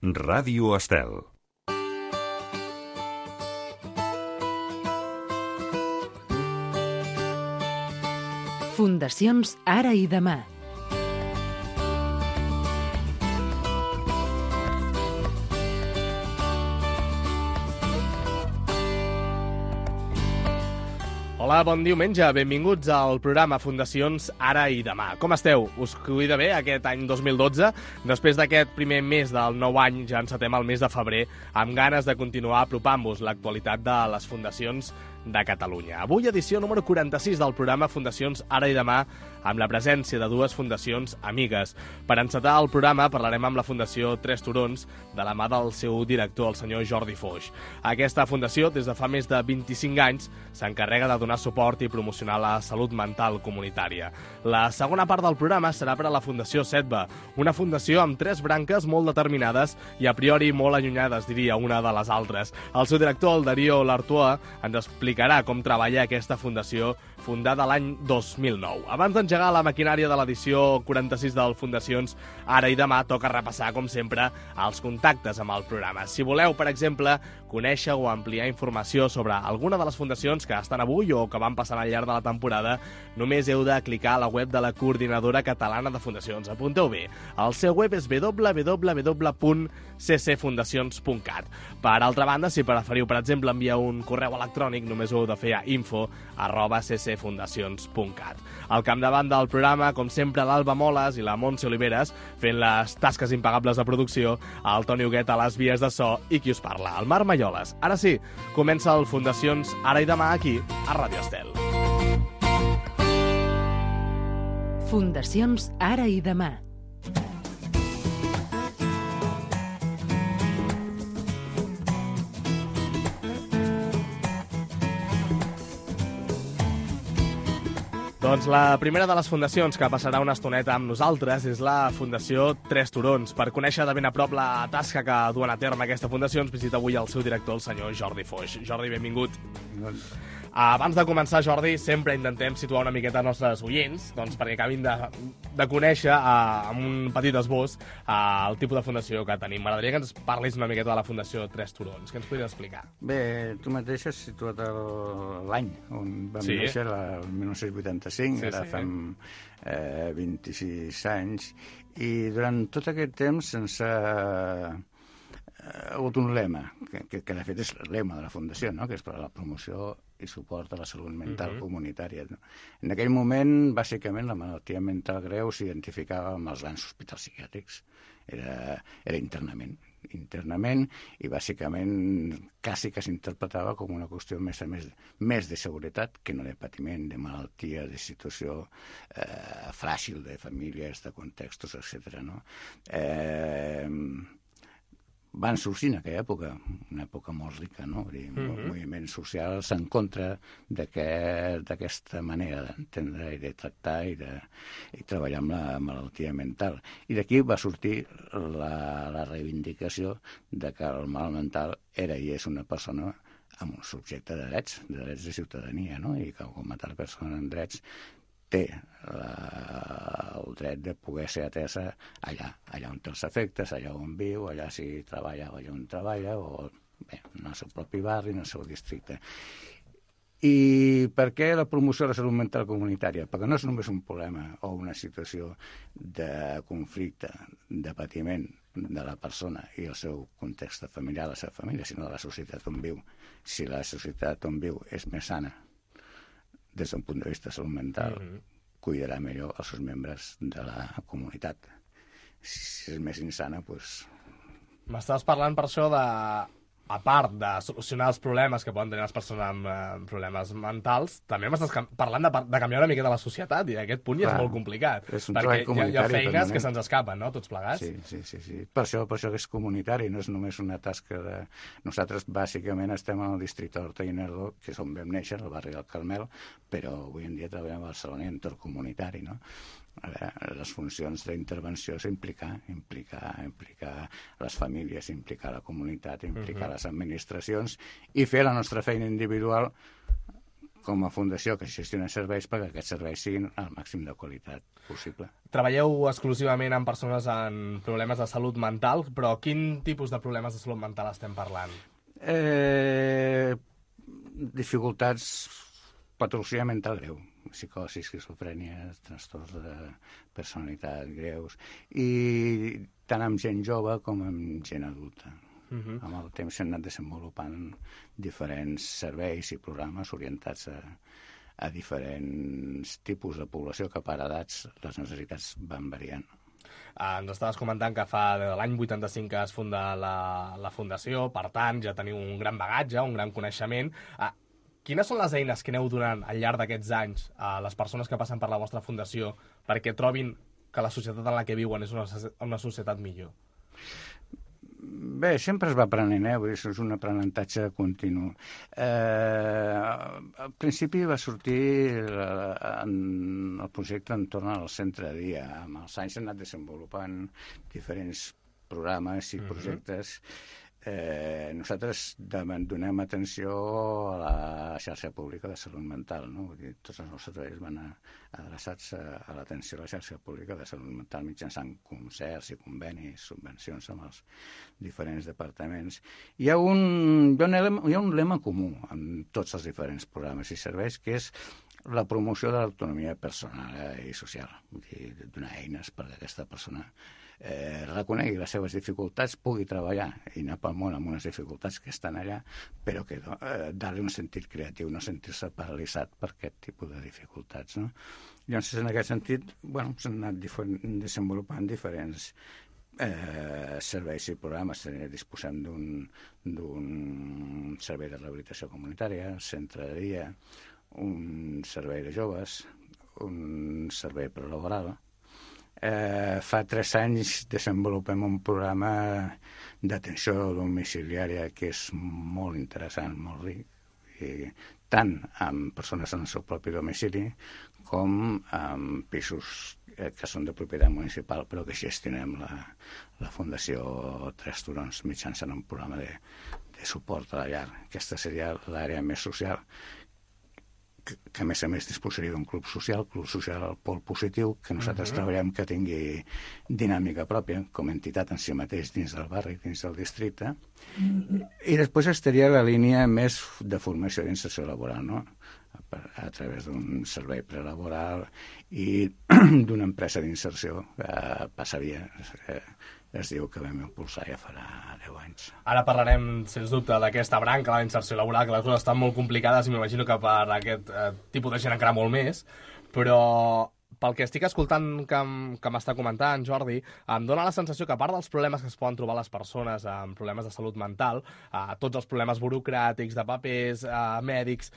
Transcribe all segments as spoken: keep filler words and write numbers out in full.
Ràdio Estel. Fundacions Ara i Demà. Hola, bon diumenge, benvinguts al programa Fundacions Ara i Demà. Com esteu? Us cuida bé aquest any dos mil dotze? Després d'aquest primer mes del nou any ja encetem el mes de febrer amb ganes de continuar apropant-vos l'actualitat de les fundacions de Catalunya. Avui edició número quaranta-sis del programa Fundacions Ara i Demà amb la presència de dues fundacions amigues. Per encetar el programa parlarem amb la Fundació Tres Turons de la mà del seu director, el senyor Jordi Foix. Aquesta fundació, des de fa més de vint-i-cinc anys, s'encarrega de donar suport i promocionar la salut mental comunitària. La segona part del programa serà per a la Fundació Setba, una fundació amb tres branques molt determinades i a priori molt allunyades, diria, una de les altres. El seu director, el Darío Lartoa, ens explicarà com treballa aquesta fundació fundada l'any dos mil nou. Abans d'engegar la maquinària de l'edició quaranta-sis del Fundacions Ara i Demà, toca repassar, com sempre, els contactes amb el programa. Si voleu, per exemple, conèixer o ampliar informació sobre alguna de les fundacions que estan avui o que van passant al llarg de la temporada, només heu de clicar a la web de la Coordinadora Catalana de Fundacions. Apunteu bé. El seu web és w w w punt c c fundacions punt cat. Per altra banda, si preferiu, per exemple, enviar un correu electrònic, només ho heu de fer a info arroba c c fundacions punt cat. Al capdavant del programa, com sempre, l'Alba Moles i la Montse Oliveres, fent les tasques impagables de producció, el Toni Huguet a les vies de so i qui us parla, el Marc Malloles. Ara sí, comença el Fundacions Ara i Demà aquí, a Ràdio Estel. Fundacions Ara i Demà. Doncs la primera de les fundacions que passarà una estoneta amb nosaltres és la Fundació Tres Turons. Per conèixer de ben a prop la tasca que duen a terme aquesta fundació, ens visita avui el seu director, el senyor Jordi Foix. Jordi, benvingut. Abans de començar, Jordi, sempre intentem situar una miqueta els nostres oients, doncs perquè acabin de, de conèixer, uh, amb un petit esbós, uh, el tipus de fundació que tenim. M'agradaria que ens parlis una miqueta de la Fundació Tres Turons. Què ens podries explicar? Bé, tu mateix has situat l'any on vam sí. néixer, el dinou vuitanta-cinc, sí, ara sí. fem eh, vint-i-sis anys, i durant tot aquest temps ens ha ha hagut un lema, que, que, que de fet és el lema de la Fundació, no? Que és per a la promoció i suport a la salut mental uh-huh. comunitària. No? En aquell moment, bàsicament, la malaltia mental greu s'identificava amb els grans hospitals psiquiàtrics. Era, era internament, internament, i bàsicament quasi que s'interpretava com una qüestió més a més, més de seguretat que no de patiment, de malaltia, de situació eh, fràgil, de famílies, de contextos, etcètera. No? Eh... van sorgir en aquella època, una època molt rica, no? Mm-hmm. Moviments socials en contra d'aquesta manera d'entendre i de tractar i de i treballar amb la malaltia mental. I d'aquí va sortir la, la reivindicació de que el mal mental era i és una persona amb un subjecte de drets, de drets de ciutadania, no? I que com a tal persona amb drets té la, el dret de poder ser atesa allà, allà on té els efectes, allà on viu, allà si treballa, allà on treballa, o bé, en el seu propi barri, en el seu districte. I per què la promoció de la salut mental comunitària? Perquè no és només un problema o una situació de conflicte, de patiment de la persona i el seu context familiar, la seva família, sinó de la societat on viu. Si la societat on viu és més sana, des d'un punt de vista de salut mental, mm-hmm. cuidarà millor els seus membres de la comunitat. Si és més insana, doncs... M'estàs parlant per això de, a part de solucionar els problemes que poden tenir les persones amb eh, problemes mentals, també m'estàs parlant de, de canviar una mica de la societat, i aquest punt ja és molt complicat. És un perquè hi ha, hi ha feines permanent. que se'ns escapen, no?, tots plegats. Sí, sí, sí, sí. Per això, per això que és comunitari, no és només una tasca de... Nosaltres, bàsicament, estem en el districte d'Horta i Guinardó, que és on vam néixer, al barri del Carmel, però avui en dia treballem a Barcelona i entorn comunitari, no? A veure, les funcions d'intervenció és implicar, implicar, implicar les famílies, implicar la comunitat, implicar uh-huh. les administracions i fer la nostra feina individual com a fundació que gestiona serveis perquè aquests serveis siguin al màxim de qualitat possible. Treballeu exclusivament amb persones amb problemes de salut mental, però quin tipus de problemes de salut mental estem parlant? Eh, dificultats, patologia mental greu, psicosi, esquizofrènia, trastorns de personalitat greus, i tant amb gent jove com amb gent adulta. Uh-huh. Amb el temps s'han anat desenvolupant diferents serveis i programes orientats a, a diferents tipus de població que per edats les necessitats van variant. Uh, ens estaves comentant que fa de l'any vuitanta-cinc que es funda la, la fundació, per tant ja teniu un gran bagatge, un gran coneixement. Uh, quines són les eines que aneu donant al llarg d'aquests anys a les persones que passen per la vostra fundació perquè trobin que la societat en la que viuen és una, una societat millor? Bé, sempre es va aprenent, eh? Vull dir, és un aprenentatge continu. Eh, al principi va sortir en el projecte entorn al centre de dia. Amb els anys s'han anat desenvolupant diferents programes i projectes. Eh, nosaltres donem atenció a la xarxa pública de salut mental, no? Vull dir, tots els nostres treballs van adreçats a, a l'atenció a la xarxa pública de salut mental mitjançant concerts i convenis, subvencions amb els diferents departaments. Hi ha un, hi ha un, lema, hi ha un lema comú en tots els diferents programes i serveis, que és la promoció de l'autonomia personal i social. Vull dir, donar eines perquè aquesta persona Eh, reconegui les seves dificultats, pugui treballar i anar pel món amb unes dificultats que estan allà, però que eh, dar-li un sentit creatiu, no sentir-se paralitzat per aquest tipus de dificultats, no? Llavors, en aquest sentit, bueno, s'han anat desenvolupant diferents eh, serveis i programes. Disposem d'un d'un servei de rehabilitació comunitària, centre de dia, un servei de joves, un servei prelaboral. Eh, fa tres anys desenvolupem un programa d'atenció domiciliària que és molt interessant, molt ric, i tant amb persones en el seu propi domicili com amb pisos eh, que són de propietat municipal però que gestionem la, la Fundació Tres Turons mitjançant un programa de, de suport a la llar. Aquesta seria l'àrea més social, que, que a més a més disposaria d'un club social, club social al pol positiu, que nosaltres uh-huh. treballem que tingui dinàmica pròpia, com a entitat en si mateix dins del barri, dins del districte. Uh-huh. I després estaria la línia més de formació d'inserció laboral, no? A, a través d'un servei prelaboral i d'una empresa d'inserció que passaria... Eh, es diu que vam impulsar ja farà deu anys. Ara parlarem, sens dubte, d'aquesta branca, la inserció laboral, que les coses estan molt complicades i m'imagino que per aquest eh, tipus de gent encara molt més, però pel que estic escoltant que, que m'està comentant, Jordi, em dóna la sensació que a part dels problemes que es poden trobar les persones amb problemes de salut mental, eh, tots els problemes burocràtics, de papers, eh, mèdics,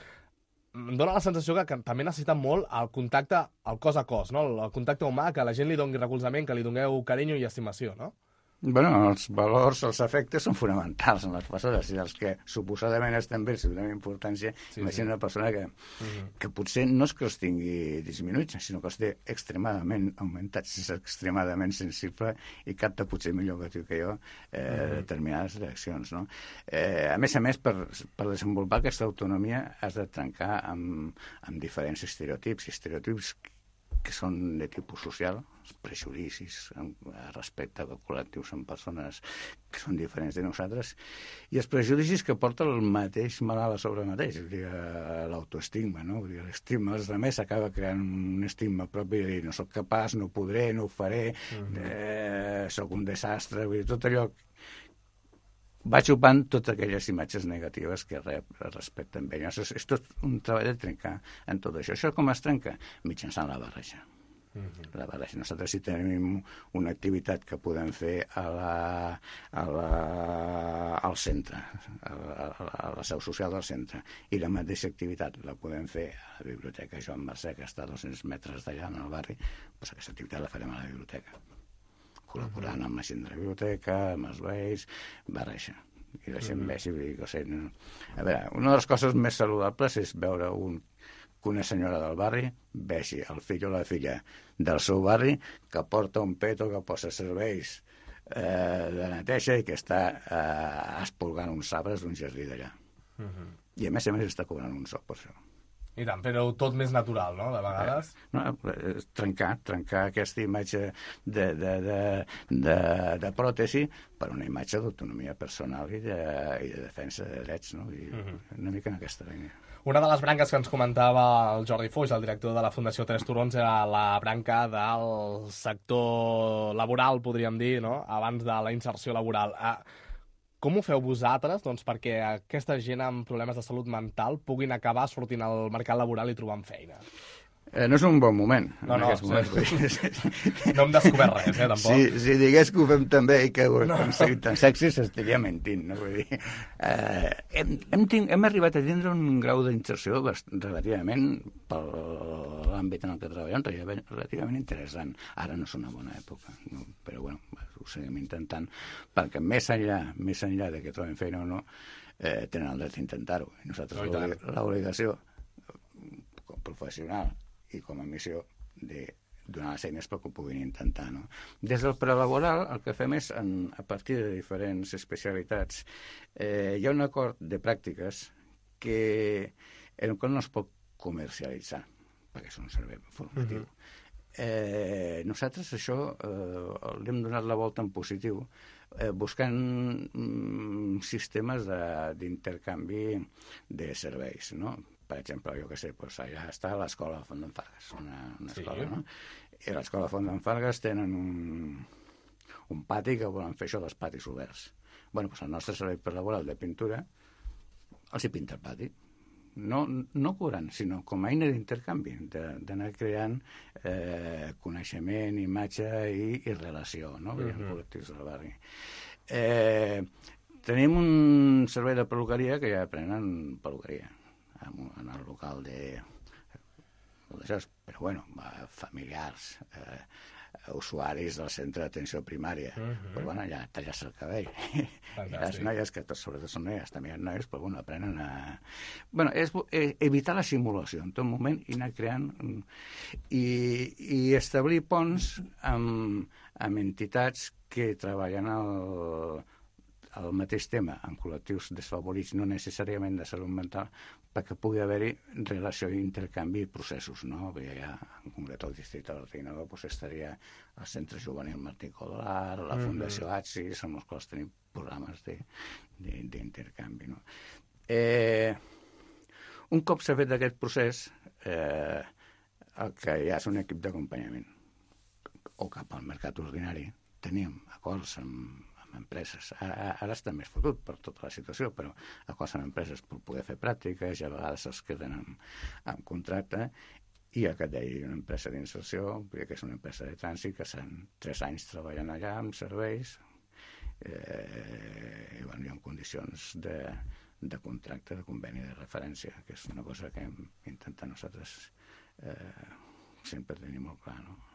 em dóna la sensació que, que també necessiten molt el contacte, el cos a cos, no? El contacte humà, que la gent li doni recolzament, que li doneu carinyo i estimació, no? Bueno, els valors, els efectes són fonamentals en les persones, i els que suposadament estan bé, si donem importància, sí, imagina sí. Una persona que, uh-huh. que potser no és que els tingui disminuïts, sinó que els té extremadament augmentats, és extremadament sensible i capta potser millor que tu que jo eh, uh-huh. determinades reaccions, no? Eh, a més a més, per, per desenvolupar aquesta autonomia has de trencar amb, amb diferents estereotips, estereotips que són de tipus social, prejudicis respecte a col·lectius en persones que són diferents de nosaltres, i els prejudicis que porta el mateix malalt a sobre mateix, l'autoestigma, no? L'estigma dels altres acaba creant un estigma propi de dir no soc capaç, no podré, no ho faré, uh-huh. eh, soc un desastre, vull dir, tot allò va xupant totes aquelles imatges negatives que rep respecte amb ell. És, és tot un treball de trencar en tot això. Això com es trenca? Mitjançant la barreja. Uh-huh. La barreja. Nosaltres sí tenim una activitat que podem fer a la, a la, al centre, a la, a la seu social del centre, i la mateixa activitat la podem fer a la biblioteca Joan Mercè, que està a dos-cents metres d'allà en el barri, doncs aquesta activitat la farem a la biblioteca, col·laborant amb la gent de la biblioteca, amb els veïns, barreja. I la gent vegi, o sigui, no. A veure, una de les coses més saludables és veure un, que una senyora del barri vegi el fill o la filla del seu barri que porta un peto, que posa serveis eh, de neteja i que està eh, espolgant uns arbres d'un jardí d'allà. Uh-huh. I a més a més està cobrant un sou per això. I tant, però tot més natural, no?, de vegades. Eh, no, trencar, trencar aquesta imatge de, de, de, de, de pròtesi per una imatge d'autonomia personal i de, i de defensa de drets, no? I uh-huh. una mica en aquesta línia. Una de les branques que ens comentava el Jordi Foix, el director de la Fundació Tres Turons, era la branca del sector laboral, podríem dir, no?, abans de la inserció laboral. Ah, com ho feu vosaltres, doncs, perquè aquesta gent amb problemes de salut mental puguin acabar sortint al mercat laboral i trobant feina? Eh, no és un bon moment. No, no, sí. No hem descobert res, eh, tampoc. Si, si digués que ho fem també i que ho hem aconseguit tan sexy, s'estaria mentint, no? Vull dir, eh, hem, hem, ting, hem arribat a tindre un grau d'inserció relativament, per l'àmbit en el que treballem, relativament interessant. Ara no és una bona època, no? Però bueno, ho seguim intentant, perquè més enllà, més enllà de que trobem feina o no, eh, tenen el dret d'intentar-ho. I nosaltres l'obligació com professional i com a missió de donar les eines perquè ho puguin intentar, no? Des del prelaboral el que fem és, en, a partir de diferents especialitats, eh, hi ha un acord de pràctiques que en el qual no es pot comercialitzar, perquè és un servei formatiu. Uh-huh. eh, nosaltres això eh, l'hem donat la volta en positiu, eh, buscant mm, sistemes d'intercanvi de, de serveis, no? Per exemple, jo què sé, doncs allà està l'escola Font d'en Fargues, una, una escola, sí. No? I a l'escola Font d'en Fargues tenen un, un pati que volen fer això dels patis oberts. Bueno, doncs el nostre servei per laboral de pintura els hi pinta el pati. No, no cobrant, sinó com a eina d'intercanvi, d'anar creant eh, coneixement, imatge i, i relació, no? Uh-huh. En col·lectius del barri. Eh, tenim un servei de peluqueria que ja aprenen peluqueria en el local de... Però, bueno, familiars, eh, usuaris del centre d'atenció primària. Uh-huh. Però, bueno, ja tallar-se el cabell. I les noies, que tot, sobretot són noies, també hi ha noies, però, bueno, aprenen a... Bueno, és evitar la simulació en tot moment i anar creant... I, i establir ponts amb, amb entitats que treballen al... el mateix tema, en col·lectius desfavorits, no necessàriament de salut mental, perquè pugui haver-hi relació i intercanvi i processos, no? Ja, en concret, el districte de l'Ordinador pues, estaria al Centre Juvenil Martí Codolar, la Fundació A T S I, amb els quals tenim programes d'intercanvi, no? Eh, un cop s'ha fet aquest procés, eh, el que hi ha és un equip d'acompanyament, o cap al mercat ordinari. Tenim acords amb amb empreses. Ara, ara està més fotut per tota la situació, però acords amb empreses per poder fer pràctiques i a vegades es queden amb, amb contracte. I el que et deia, una empresa d'inserció, que és una empresa de trànsit que estan tres anys treballant allà amb serveis eh, i bueno, hi ha condicions de, de contracte, de conveni de referència, que és una cosa que hem intentat nosaltres eh, sempre tenir molt clar, no?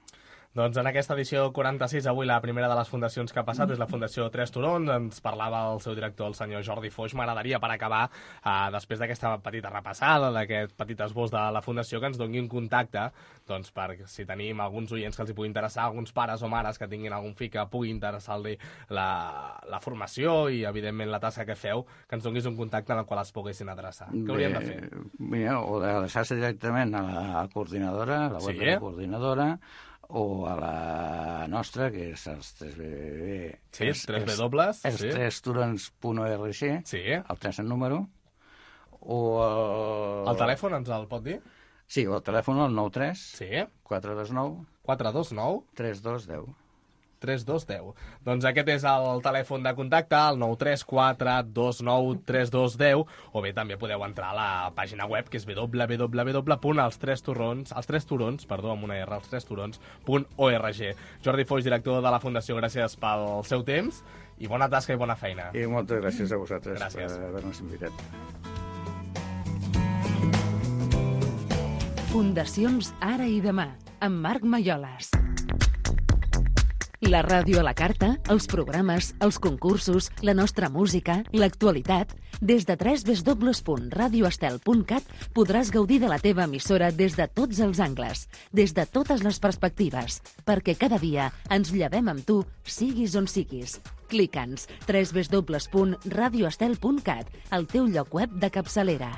Doncs en aquesta edició quaranta-sis, avui la primera de les fundacions que ha passat és la Fundació Tres Turons. Ens parlava el seu director, el senyor Jordi Foix. M'agradaria, per acabar, eh, després d'aquesta petita repassada, d'aquest petit esbós de la Fundació, que ens doni un contacte, doncs, per si tenim alguns oients que els hi pugui interessar, alguns pares o mares que tinguin algun fill que pugui interessar-li la, la formació i, evidentment, la tasca que feu, que ens donis un contacte en el qual es poguessin adreçar. Què hauríem de fer? Mira, o d'adreçar-se directament a la coordinadora, a la web sí? de la coordinadora, o a la nostra, que és els tres B B... Sí, els tres B dobles. Els sí. tres turons punt org, sí. El tres en número, o el... El telèfon ens el pot dir? Sí, el telèfon el nou tres sí. quatre dos nou quatre dos nou tres dos deu. tres dos deu. Doncs aquest és el telèfon de contacte, el nou tres quatre dos nou tres dos deu, o bé també podeu entrar a la pàgina web, que és w w w punt els tres turons, els tres turons, perdó, amb una R, els tres turons punt org. Jordi Foix, director de la Fundació, gràcies pel seu temps i bona tasca i bona feina. I moltes gràcies a vosaltres gràcies. per haver-nos invitat. Fundacions Ara i Demà, amb Marc Malloles. La ràdio a la carta, els programes, els concursos, la nostra música, l'actualitat... Des de w w w punt radio estel punt cat podràs gaudir de la teva emissora des de tots els angles, des de totes les perspectives, perquè cada dia ens llevem amb tu, siguis on siguis. Clica'ns w w w punt radio estel punt cat, el teu lloc web de capçalera.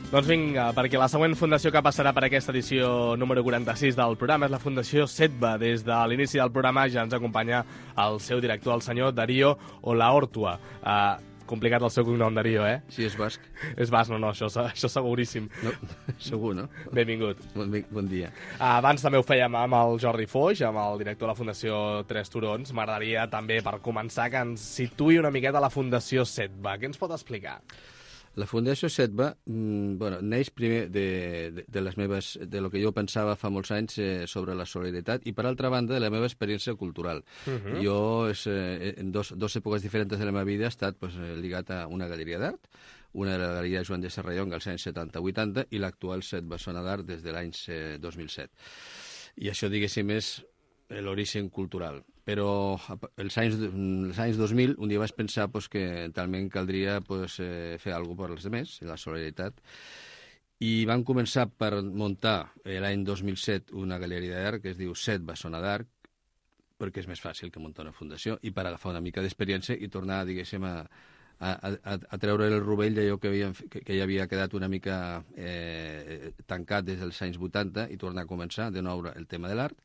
Doncs vinga, perquè la següent fundació que passarà per aquesta edició número quaranta-sis del programa és la Fundació Setba. Des de l'inici del programa ja ens acompanya el seu director, el senyor Darío Olaortua. Uh, complicat el seu cognom, Darío, eh? Sí, és basc. És basc, no, no, això, això seguríssim. No, segur, no? Benvingut. Bon, bon dia. Uh, abans també ho fèiem amb el Jordi Foix, amb el director de la Fundació Tres Turons. M'agradaria també, per començar, que ens situï una miqueta la Fundació Setba. Què ens pot explicar? La Fundació Setba mmm, bueno, neix primer de, de, de les meves, de lo que jo pensava fa molts anys eh, sobre la solidaritat i, per altra banda, de la meva experiència cultural. Uh-huh. Jo, és, eh, en dos, dos èpoques diferents de la meva vida, he estat pues, lligat a una galeria d'art, una de la galeria Joan de Serrallonga als anys setanta vuitanta i l'actual Setba Zona d'Art des de l'any eh, dos mil set. I això, diguéssim, és l'origen cultural. Però els anys, els anys dos mil un dia vaig pensar pues, que talment caldria pues, eh, fer alguna cosa per als altres, la solidaritat, i vam començar per muntar l'any dos mil set una galeria d'art que es diu Setba Zona d'Art, perquè és més fàcil que muntar una fundació, i per agafar una mica d'experiència i tornar, diguéssim, a, a, a, a treure el rovell d'allò que, havia, que, que ja havia quedat una mica eh, tancat des dels anys vuitanta i tornar a començar de nou el tema de l'art.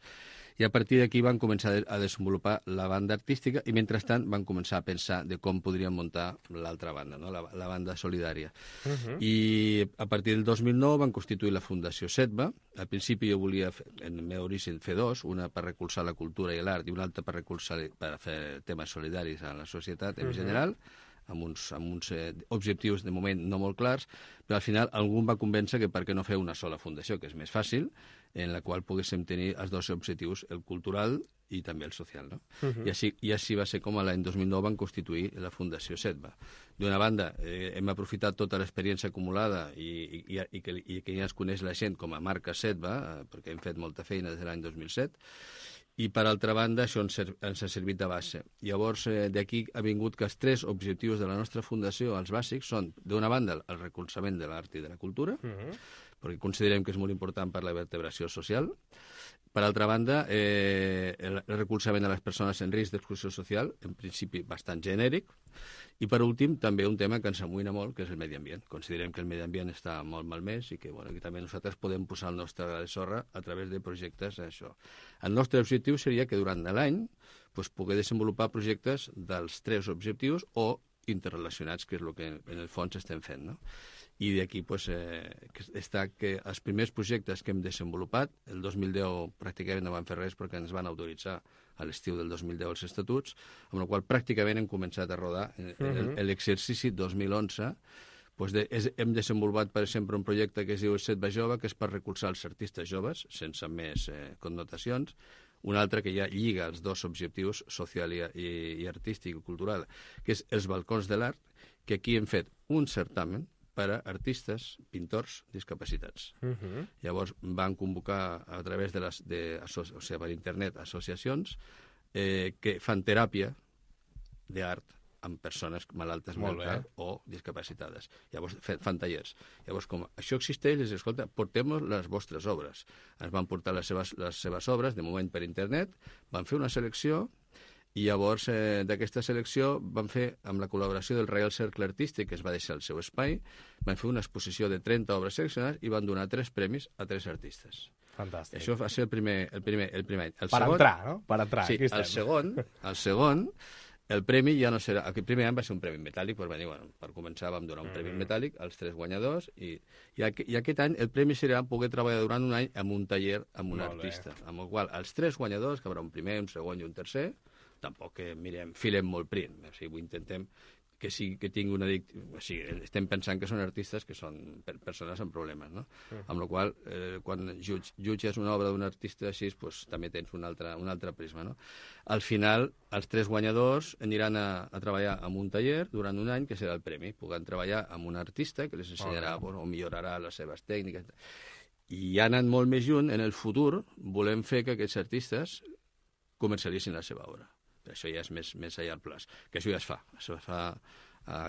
I a partir d'aquí van començar a desenvolupar la banda artística i, mentrestant, van començar a pensar de com podríem muntar l'altra banda, no? la, la banda solidària. Uh-huh. I a partir del dos mil nou van constituir la Fundació Setba. Al principi jo volia, fer, en el meu origen, fer dos, una per recolzar la cultura i l'art i una altra per recolzar per fer temes solidaris a la societat en uh-huh. general, amb uns, amb uns eh, objectius de moment no molt clars, però al final algú va convèncer que per què no fer una sola fundació, que és més fàcil, en la qual poguéssim tenir els dos objectius, el cultural i també el social. No? Uh-huh. I, així, I així va ser com l'any dos mil nou van constituir la Fundació Setba. D'una banda, eh, hem aprofitat tota l'experiència acumulada i, i, i, que, i que ja es coneix la gent com a marca Setba, eh, perquè hem fet molta feina des de l'any dos mil set, i, per altra banda, això ens, ens ha servit de base. Llavors, eh, d'aquí ha vingut que els tres objectius de la nostra fundació, els bàsics, són, d'una banda, el recolzament de l'art i de la cultura, uh-huh. perquè considerem que és molt important per la vertebració social. Per altra banda, eh, el recolzament a les persones en risc d'exclusió social, en principi bastant genèric. I, per últim, també un tema que ens amoïna molt, que és el medi ambient. Considerem que el medi ambient està molt malmès i que, bueno, que també nosaltres podem posar el nostre gra de sorra a través de projectes això. El nostre objectiu seria que durant l'any pues, poder desenvolupar projectes dels tres objectius o interrelacionats, que és el que en el fons estem fent, no? I d'aquí pues, eh, està que els primers projectes que hem desenvolupat, el dos mil deu pràcticament no van fer res perquè ens van autoritzar a l'estiu del dos mil deu els estatuts, amb la qual pràcticament hem començat a rodar. En, uh-huh. en l'exercici dos mil onze pues de, és, hem desenvolupat, per exemple, un projecte que es diu Setba Jove, que és per recolzar els artistes joves, sense més eh, connotacions, un altre que ja lliga els dos objectius, social i, i, i artístic i cultural, que és els balcons de l'art, que aquí hem fet un certamen per a artistes, pintors, discapacitats. Uh-huh. Llavors van convocar a través de les, de, o sigui, per internet, associacions eh, que fan teràpia d'art amb persones malaltes mentals o discapacitades. Llavors fan tallers. Llavors, com això existeix, les escolta, portem les vostres obres. Ens van portar les seves, les seves obres, de moment per internet, van fer una selecció i llavors eh, d'aquesta selecció van fer, amb la col·laboració del Reial Cercle Artístic, que es va deixar el seu espai, van fer una exposició de trenta obres seleccionades i van donar tres premis a tres artistes. Fantàstic. Això va ser el primer, el primer, el primer any. El per segon, entrar, no? Per entrar. Sí, el segon, el segon, el premi ja no serà... El primer any va ser un premi metàl·lic, però dir, bueno, per començar vam donar un premi mm. metàl·lic als tres guanyadors i, i, aqu i aquest any el premi serà poder treballar durant un any amb un taller amb un Molt artista. Bé. Amb el qual els tres guanyadors, que haurà un primer, un segon i un tercer, tampoc que mirem, filem molt prim, o sigui, intentem que, sí, que tingui una... O sigui, estem pensant que són artistes que són per persones amb problemes, no? Uh -huh. Amb la qual eh, quan jutges, jutges una obra d'un artista així, pues, també tens un altre, un altre prisma, no? Al final, els tres guanyadors aniran a, a treballar en un taller durant un any, que serà el premi. Puguen treballar amb un artista que les ensenyarà, uh -huh. bueno, o millorarà les seves tècniques. I anant molt més lluny, en el futur, volem fer que aquests artistes comercialitzin la seva obra. Però això ja és més, més allà al plaç, que això ja es fa. Això es fa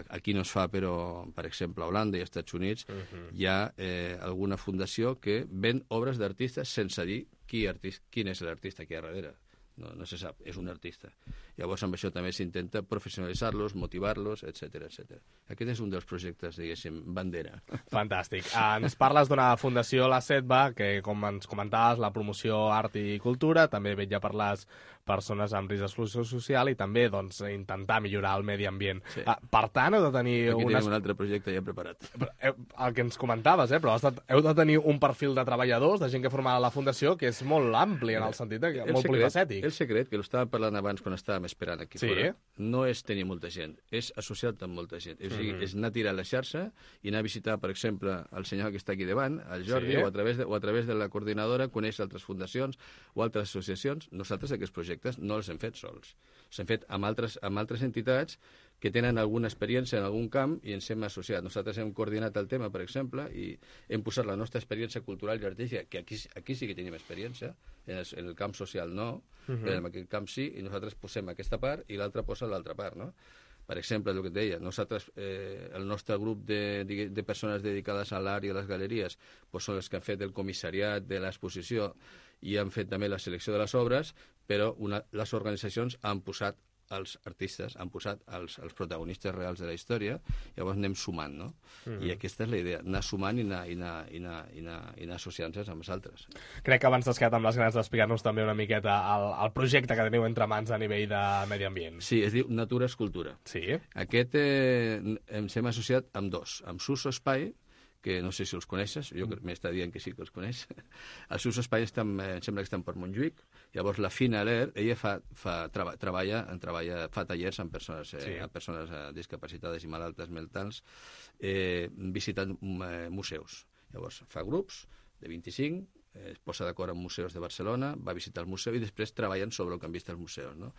aquí no es fa, però, per exemple, a Holanda i als Estats Units uh-huh. hi ha eh, alguna fundació que ven obres d'artistes sense dir qui, artista, quin és l'artista que hi ha darrere. no, no se sap, és un artista. Llavors amb això també s'intenta professionalitzar-los, motivar-los, etcètera, etcètera. Aquest és un dels projectes, diguéssim, bandera. Fantàstic. Ens parles d'una fundació, la SEDBA, que com ens comentaves, la promoció art i cultura, també vetlla per les persones amb risc d'exclusió social i també doncs, intentar millorar el medi ambient. Sí. Ah, per tant, heu de tenir... Aquí unes... tenim un altre projecte ja preparat. El que ens comentaves, eh? Però heu de tenir un perfil de treballadors, de gent que forma la fundació, que és molt ampli en el sentit que molt polifacètic. El secret, que l'estàvem parlant abans quan estàvem esperant aquí sí. fora, no és tenir molta gent, és associar-te amb molta gent. És, mm-hmm. és anar a tirar la xarxa i anar a visitar, per exemple, el senyor que està aquí davant, el Jordi, sí. o, a través de, o a través de la coordinadora, conèixer altres fundacions o altres associacions. Nosaltres aquests projectes no els hem fet sols. Els hem fet amb altres, amb altres entitats que tenen alguna experiència en algun camp i ens hem associat. Nosaltres hem coordinat el tema, per exemple, i hem posat la nostra experiència cultural i artística, que aquí, aquí sí que tenim experiència, en el, en el camp social no, uh-huh. però en aquest camp sí, i nosaltres posem aquesta part i l'altra posa l'altra part, no? Per exemple, el que et deia, nosaltres, eh, el nostre grup de, de, de persones dedicades a l'art i a les galeries pues són els que han fet el comissariat de l'exposició i han fet també la selecció de les obres, però una, les organitzacions han posat els artistes, han posat els, els protagonistes reals de la història, llavors anem sumant, no? Mm-hmm. I aquesta és la idea, anar sumant i anar, i anar, i anar, i anar, i anar associant-se amb els altres. Crec que abans t'has quedat amb les ganes d'explicar-nos també una miqueta el, el projecte que teniu entre mans a nivell de medi ambient. Sí, es diu Natura Escultura. Sí. Aquest eh, ens hem associat amb dos, amb Suso Espai, que no sé si els coneixes, jo m'està dient que sí que els coneix. El Suso Espai estan, em sembla que estan per Montjuïc, llavors la Fina Aler, ella fa, fa, treba, treballa, treballa, fa tallers amb persones, eh, sí. amb persones eh, discapacitades i malaltes mentals, eh, visitant eh, museus. Llavors fa grups de vint-i-cinc, eh, es posa d'acord amb museus de Barcelona, va visitar el museu i després treballen sobre el que han vist els museus, no?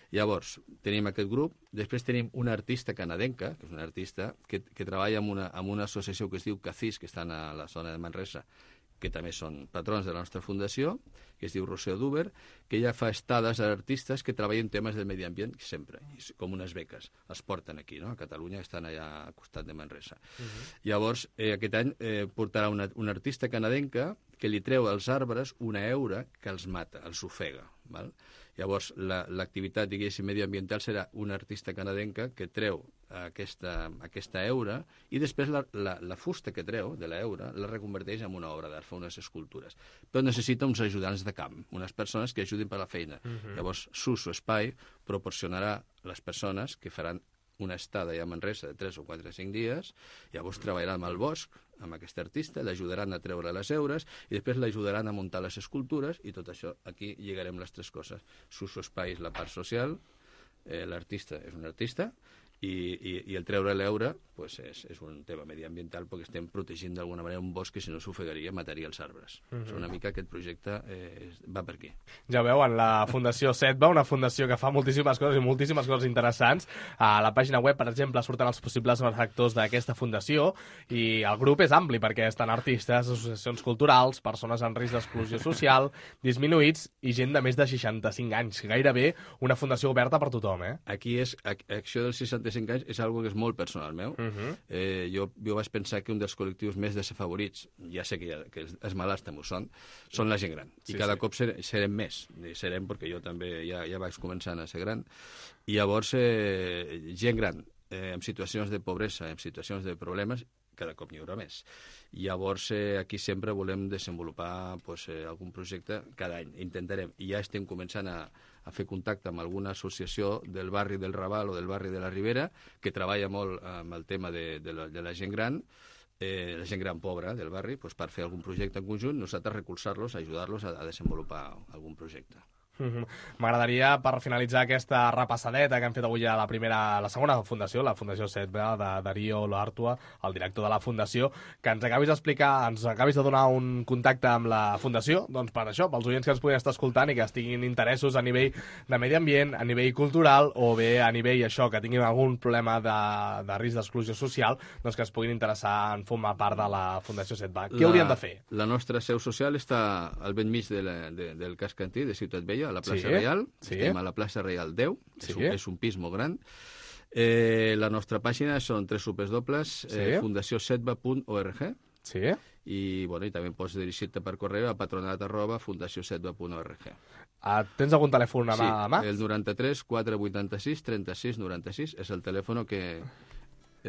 Llavors, tenim aquest grup, després tenim una artista canadenca, que és una artista que, que treballa amb una, amb una associació que es diu CACIS, que estan a la zona de Manresa, que també són patrons de la nostra fundació, que es diu Rocío Duber, que ella fa estades a artistes que treballen temes del medi ambient sempre, com unes beques. Els porten aquí, no? A Catalunya, estan allà al costat de Manresa. Uh-huh. Llavors, eh, aquest any eh, portarà una, una artista canadenca que li treu als arbres una eura que els mata, els ofega, val? Llavors, l'activitat, la, diguéssim, medioambiental serà una artista canadenca que treu aquesta, aquesta eura i després la, la, la fusta que treu de l'eura la reconverteix en una obra d'art, fa unes escultures. Però necessita uns ajudants de camp, unes persones que ajudin per la feina. Uh-huh. Llavors, Suso Espai proporcionarà les persones que faran una estada ja a Manresa de tres o quatre o cinc dies, llavors treballarà amb el bosc, amb aquest artista, l'ajudaran a treure les eures i després l'ajudaran a muntar les escultures i tot això, aquí lligarem les tres coses. Suso Espai és la part social, eh, l'artista és un artista i, i, i el treure l'eure pues és, és un tema mediambiental perquè estem protegint d'alguna manera un bosc que si no s'ofegaria mataria els arbres. Uh-huh. O sigui, una mica aquest projecte eh, va per aquí. Ja veuen, la Fundació SEDBA, una fundació que fa moltíssimes coses i moltíssimes coses interessants. A la pàgina web, per exemple, surten els possibles benefactors d'aquesta fundació i el grup és ampli perquè estan artistes, associacions culturals, persones en risc d'exclusió social, disminuïts i gent de més de seixanta-cinc anys. Gairebé una fundació oberta per tothom, eh? Aquí és, això dels seixanta-cinc anys és algo que és molt personal meu. Uh-huh. eh, jo, jo vaig pensar que un dels col·lectius més desafavorits, ja sé que, ja, que els, els malalts també ho són, són la gent gran. I sí, cada sí. cop ser, serem més. Serem perquè jo també ja, ja vaig començant a ser gran. I llavors, eh, gent gran, eh, en situacions de pobresa, en situacions de problemes, cada cop n'hi haurà més. Llavors, eh, aquí sempre volem desenvolupar pues, eh, algun projecte cada any. Intentarem. I ja estem començant a, a fer contacte amb alguna associació del barri del Raval o del barri de la Ribera que treballa molt amb el tema de, de, la, de la gent gran, eh, la gent gran pobra del barri, pues, per fer algun projecte en conjunt, nosaltres recolzar-los, ajudar-los a, a desenvolupar algun projecte. M'agradaria, per finalitzar aquesta repassadeta que hem fet avui a la primera, la segona fundació, la Fundació SEDBA, de Darío Loartua, el director de la fundació, que ens acabis d'explicar, ens acabis de donar un contacte amb la fundació, doncs per això, pels oients que ens puguin estar escoltant i que estiguin interessos a nivell de medi ambient, a nivell cultural, o bé a nivell això, que tinguin algun problema de, de risc d'exclusió social, doncs que es puguin interessar en formar part de la Fundació SEDBA. Què la, haurien de fer? La nostra seu social està al ben mig de la, de, del casc antí, de Ciutat Vella, a la plaça sí, Reial, sí. estem a la plaça Reial deu, sí. és, un, és un pis molt gran. Eh, la nostra pàgina són doble u doble u doble u punt sí. fundació sedba punt org sí. i, bueno, i també pots dirigir-te per correu a patronat arroba fundació sedba punt org. Ah, tens algun telèfon a mà? Sí, a mà? el noranta-tres quatre vuitanta-sis trenta-sis noranta-sis és el telèfon que...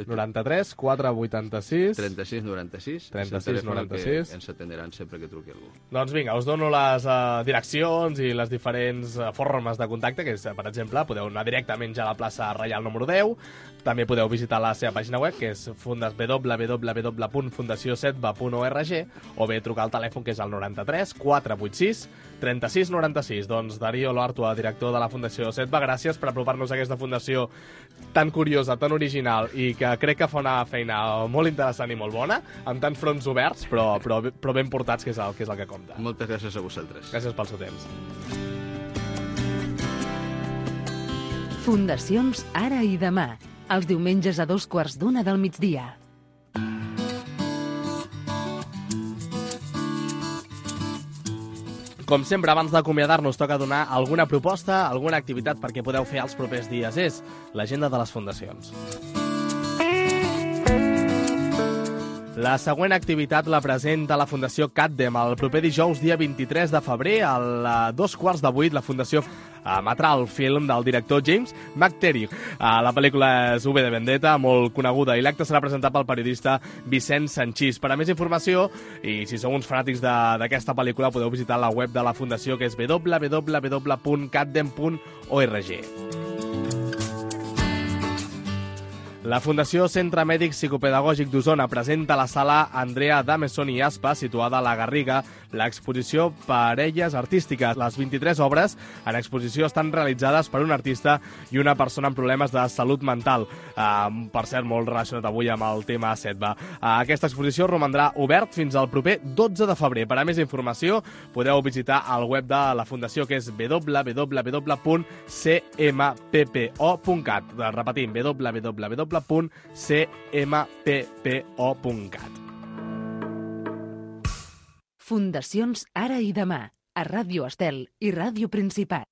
noranta-tres quatre vuitanta-sis trenta-sis noranta-sis trenta-sis noranta-sis que ens atenderan sempre que truqui algú. Doncs vinga, us dono les uh, direccions i les diferents uh, formes de contacte, que és, per exemple, podeu anar directament ja a la plaça Reial número deu, també podeu visitar la seva pàgina web, que és w w w punt fundació setba punt org, o bé trucar al telèfon, que és el noranta-tres quatre vuitanta-sis trenta-sis noranta-sis. Doncs Darío Loartua, director de la Fundació Setba, gràcies per apropar-nos a aquesta fundació tan curiosa, tan original, i que crec que fa una feina molt interessant i molt bona, amb tants fronts oberts, però, però, però ben portats, que és, el, que és el que compta. Moltes gràcies a vosaltres. Gràcies pel seu temps. Fundacions Ara i Demà, els diumenges a dos quarts d'una del migdia. Com sempre, abans d'acomiadar-nos, toca donar alguna proposta, alguna activitat perquè podeu fer els propers dies. És l'agenda de les fundacions. La següent activitat la presenta la Fundació CatDem. El proper dijous, dia vint-i-tres de febrer, a dos quarts de vuit, la Fundació emetrà el film del director James McTeague. La pel·lícula és U de Vendetta, molt coneguda, i l'acte serà presentat pel periodista Vicent Sanchís. Per a més informació, i si sou uns fanàtics d'aquesta pel·lícula, podeu visitar la web de la Fundació, que és w w w punt catdem punt org. La Fundació Centre Mèdic Psicopedagògic d'Osona presenta a la sala Andrea Dameson i Aspa, situada a la Garriga, l'exposició Parelles Artístiques. Les vint-i-tres obres en exposició estan realitzades per un artista i una persona amb problemes de salut mental. Uh, per cert, molt relacionat avui amb el tema Setba. Uh, aquesta exposició romandrà obert fins al proper dotze de febrer. Per a més informació, podeu visitar el web de la Fundació, que és w w w punt c m p p o punt cat. Repetim, w w w punt c m p p o punt cat. Fundacions Ara i Demà, a Ràdio Estel i Ràdio Principat.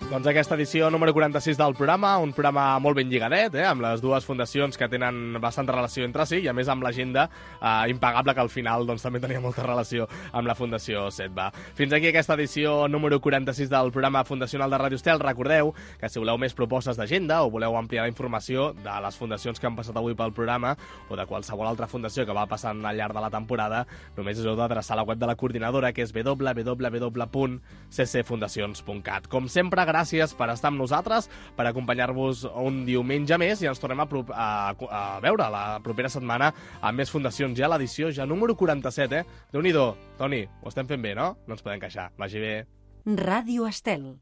Doncs aquesta edició número quaranta-sis del programa, un programa molt ben lligadet, eh, amb les dues fundacions que tenen bastanta relació entre si, i a més amb l'agenda eh, impagable, que al final doncs, també tenia molta relació amb la Fundació Setba. Fins aquí aquesta edició número quaranta-sis del programa fundacional de Ràdio Estel. Recordeu que si voleu més propostes d'agenda o voleu ampliar la informació de les fundacions que han passat avui pel programa o de qualsevol altra fundació que va passant al llarg de la temporada, només us heu d'adreçar a la web de la coordinadora, que és w w w punt c c fundacions punt cat. Com sempre, gràcies per estar amb nosaltres, per acompanyar-vos un diumenge més, i ens tornem a, a, a veure la propera setmana amb més fundacions. Ja l'edició ja número quaranta-set, eh? Déu-n'hi-do. Toni, ho estem fent bé, no? No ens podem queixar. Vagi bé. Ràdio Estel.